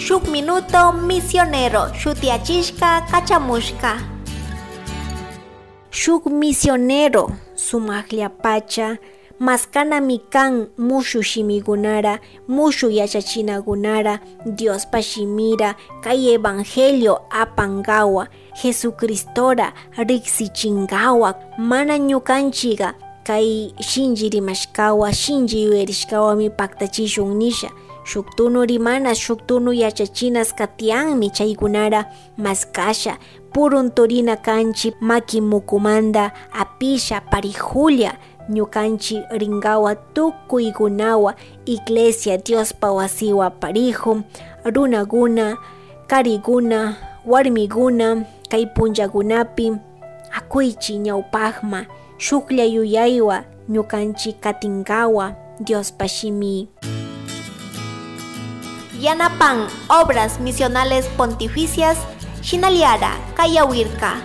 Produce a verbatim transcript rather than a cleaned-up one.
Shuk minuto misionero shutiyachishka kachamushka. Shuk misionero sumajllapacha maskanami kan mushu shimigunara, mushu yachachinagunara, Diospa shimira, kay evangelio apangawa, Jesucristora riksichingawa. Mana ñukanchiga kay shinlli rimashkawa, shinlli yuyarishkawami paktachishun nisha. Shuk tunu rimana, shuk tunu yachachinas katiyanmi, chaykunara maskasha, purunturina kanchi maki mukumanda apisha parijulla. Ñukanchi ringawa tukuygunawa, iglesia Diospa wasiwa pariju, runaguna, kariguna, warmiguna, kay punllagunapi akuychi ñawpajma, shuklla yuyaywa ñukanchi katingawa Diospa shimi. Yanapan Obras Misionales Pontificias shinallata kayawirka.